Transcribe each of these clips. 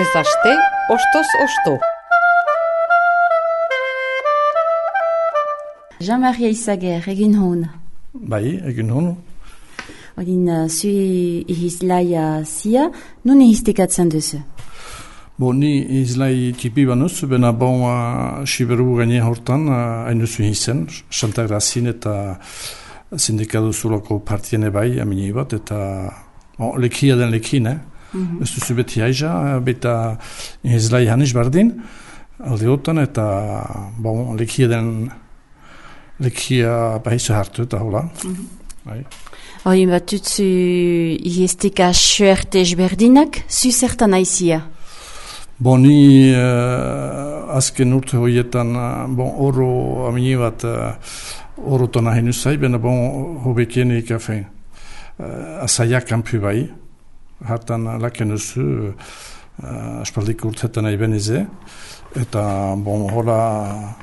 Astez aste, ostoz osto. Jean-Marie Izaguer, egin hon. Bai, egin hon. Odin, zui ihizlaia zia, nun ihiztekatzen duzu? Ni izlai tipi banuz, bena siberu gaine hortan, hain duzu izen, Santa Grazin eta sindikatu zulako partiene bai, amini bat, eta lekia den lekine. Ez duzu beti haiza, beta izlai hanis bardin, alde hotan, eta lekia bahizu hartu eta hola. Hoi, bat dutzu ihizteka suerte ezberdinak, zu zertan aizia? Ni azken urte horietan oro amini bat orotan ahin uzai, bena hobekienik azaiak kanpu bai, hartan laken uzu aspaldik urtetan nahi benize, eta hola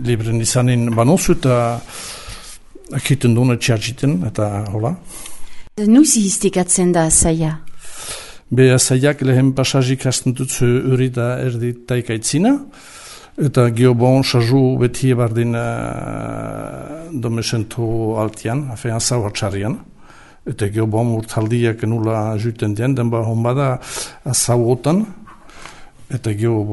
libren izanin banozu eta akiten duen txartxiten, eta hola. Nuzi hiztekatzen da azaia? Azaiak lehen pasazik hasten dutzu uri da erdi taikaitzina, eta gio sarzu beti bardin domesentu altian, azau hartxarian, eta gio urtaldiak nula juten den honbada azau otan, eta gio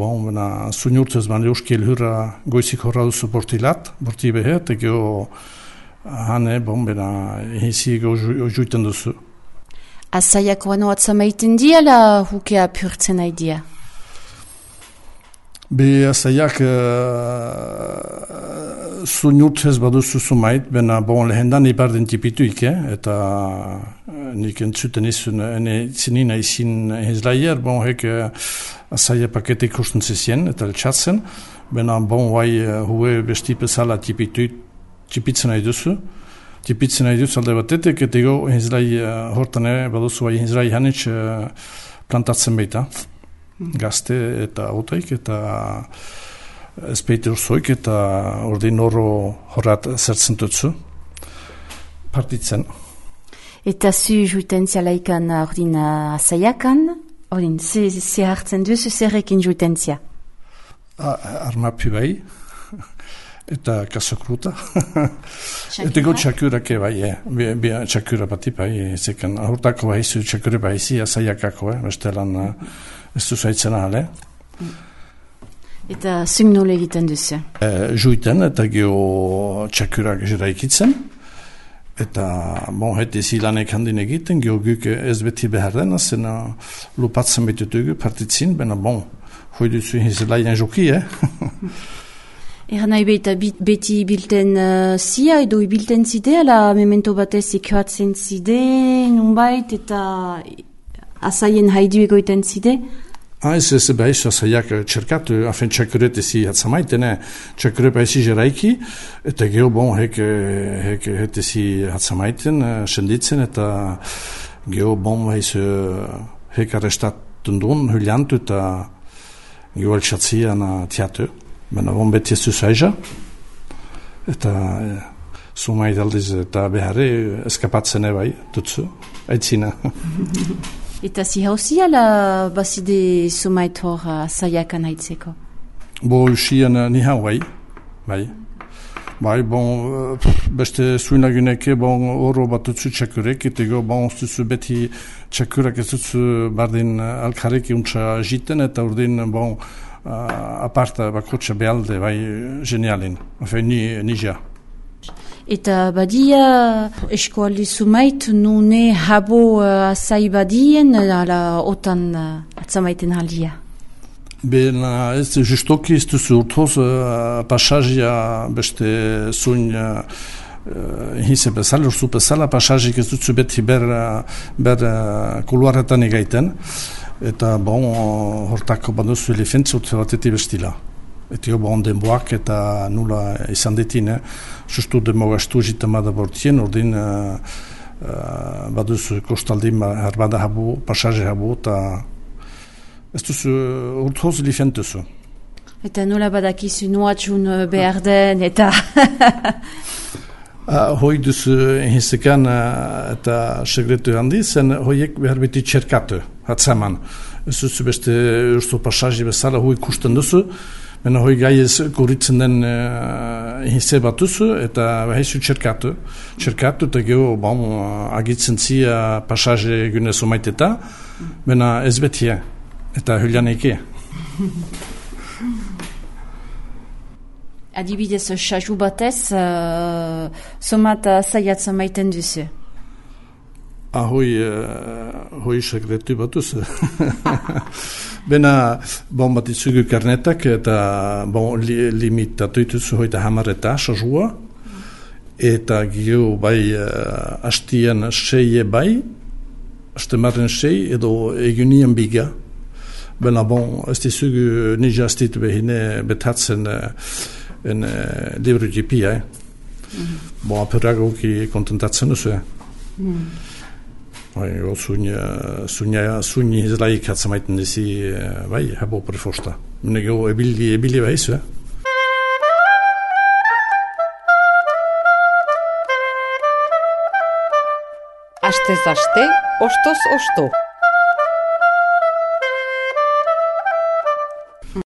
zuinurtez euskiel hurra goizik horra duzu borti behe, eta gio hane ehizi juten duzu. Azaiak wano atzamaiten dia, la hukea purtzen aidia? Azaiak zuinurtez baduzu zumait, bena lehendan ibardin tipituik, eta nik entzuten izun, zinina izin hizlaier, hek azaia pakete ikusten zizien, eta eltsatzen, bena hue besti bezala tipitzen nahi duzu, tipitzen nahi duz alde batetek, eta ego hizlai hortan baduzu hizlai hanitz plantatzen baita. Gazte eta otaik, eta ezpeite urzoik, eta ordin horrat zertzen dutzu, partitzen. Eta zu juiten zialaikan ordin azaiakan, ordin ze hartzen duzu zerrekin juiten zia? Armapi bai. Eta kasokruta. Eta go txakurake bai, txakura bati bai, zekan ahurtako baizu txakura baizi, azaiakako, bestelan ez duzaitzen ahale. Eta zung nole egiten duzu? Juiten, eta geho txakurak jiraikitzen, eta heti zilanek handin egiten, geho guk ez beti behar den, zen lupatzen betutugu partitzin, bena hoi duzu hizelaien joki, Eran nahi beti bilten zia edo ibilten zide, ala memento batez ikoatzen zide, nunbait, eta azaien haidu egoiten zide? Ez behaiz, azaiak txerkatu, afen txakuret ezi hatzamaiten, txakuret behaizi jeraiki, eta geho hek ezi hatzamaiten, senditzen, eta geho behaiz hek arrestatun duen, huliantu, eta geho altxatzian tiatu. Bena beti ez duzaiza, eta sumait aldiz eta beharre eskapatzen bai, dutzu, aitzina. Eta zi hauzi ala bazide sumait hor zaiakan aitzeko? Usian ni hau bai. Beste zuinaguneke oro bat dutzu txakurek, eta duzu beti txakurak ez dutzu bardin alkarek untsa jiten, eta urdin aparta bakotxa behalde, genialin. Nija. Eta badia eskualdi sumait nune habo azai badien, ala otan atzamaiten halia? Ez justoki ez duzu urtoz pasazia beste zuin hize bezala, urzu bezala, pasazik ez duzu beti ber kuluaretan egaiten. Eta hortako baduzu elefentzi urte bateti bestila. Eta denboak eta nula izan ditine, sustu demogastu jitamada bortien, ordin baduzu kostaldin harbada habu, pasaje habu, eta ez duzu urtoz elefentuzu. Eta nola badakizu nuatxun behar den, eta... Hoi duzu hizekan eta segretu handi, zen hoiek behar beti txerkatu, hatzaman. ez duzu beste urzo pasaji bezala hui ikusten duzu, baina hoi gai ez guritzen den hinze bat duzu, eta behaizu txerkatu, eta geho agitzen zia pasaje gunez omaiteta, baina ez betia, eta hulian eke. Adibidez, xaju batez, somat zaiatzen maiten duzu? Hoi sekretu batuz. Bena, bat itzugu karnetak eta limitatu ituzu hoita hamareta xajua, eta gio bai hastian seie bai, hastemaren sei edo egunien biga. Bena, ez dizugu nija astitu behine betatzen en libro GP, apuragoki kontentatzen duzu, Sunni izlaik hat zamaiten dizi, habo prefosta. Nego ebili behaizu, Astez aste, ostoz osto.